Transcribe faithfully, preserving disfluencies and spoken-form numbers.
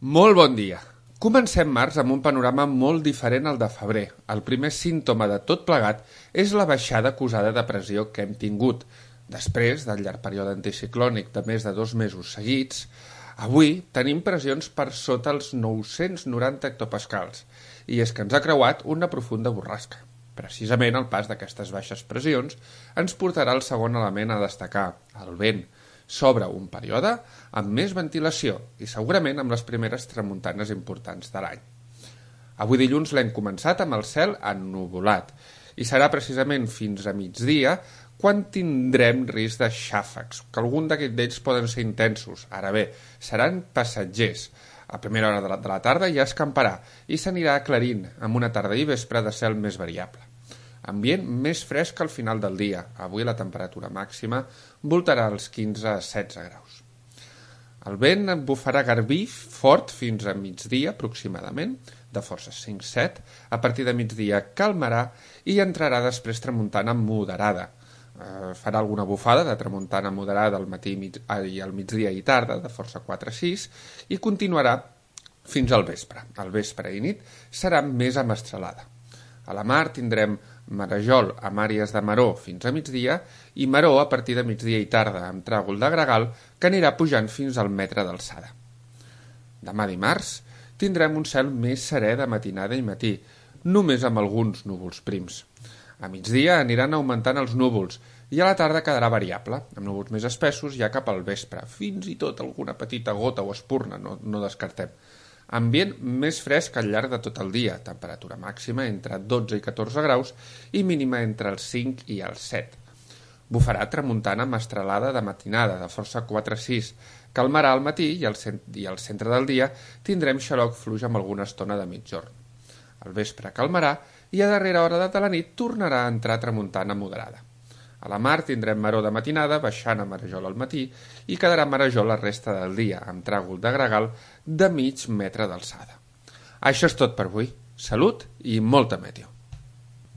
Molt bon dia. Comencem març amb un panorama molt diferent al de febrer. El primer símptoma de tot plegat és la baixada acusada de pressió que hem tingut. Després del llarg període anticiclònic de més de dos mesos seguits, avui tenim pressions per sota els nou-cents noranta hectopascals, i és que ens ha creuat una profunda borrasca. Precisament el pas d'aquestes baixes pressions ens portarà al segon element a destacar, el vent. S'obre un període amb més ventilació i segurament amb les primeres tramuntanes importants de l'any. Avui dilluns l'hem començat amb el cel ennuvolat i serà precisament fins a migdia quan tindrem risc de xàfecs, que algun d'aquests d'ells poden ser intensos. Ara bé, seran passatgers. A primera hora de la, de la tarda ja escamparà i s'anirà aclarint amb una tarda i vespre de cel més variable. Ambient més fresc al final del dia. Avui la temperatura màxima voltarà als quinze a setze graus. El vent bufarà garbí fort fins a migdia aproximadament, de forces cinc set. A partir de migdia calmarà i entrarà després tramuntana moderada. Eh, farà alguna bufada de tramuntana moderada al matí i al migdia i tarda, de força quatre sis, i continuarà fins al vespre. Al vespre i nit serà més amestralada. A la mar tindrem marejol amb àrees de maró fins a migdia i maró a partir de migdia i tarda amb tràgol de gregal que anirà pujant fins al metre d'alçada. Demà dimarts tindrem un cel més serè de matinada i matí, només amb alguns núvols prims. A migdia aniran augmentant els núvols i a la tarda quedarà variable, amb núvols més espessos ja cap al vespre, fins i tot alguna petita gota o espurna, no, no descartem. Ambient més fresc al llarg de tot el dia, temperatura màxima entre dotze i catorze graus i mínima entre els cinc i els set. Bufarà tramuntana mestralada de matinada, de força quatre sis, calmarà al matí i al, cent i al centre del dia tindrem xaloc fluix amb alguna estona de mitjorn. Al vespre calmarà i a darrera hora de la nit tornarà a entrar tramuntana moderada. A la mar tindrem maró de matinada, baixant a marejol al matí, i quedarà marejol la resta del dia, amb tràgol de gregal de mig metre d'alçada. Això és tot per avui. Salut i molta meteo.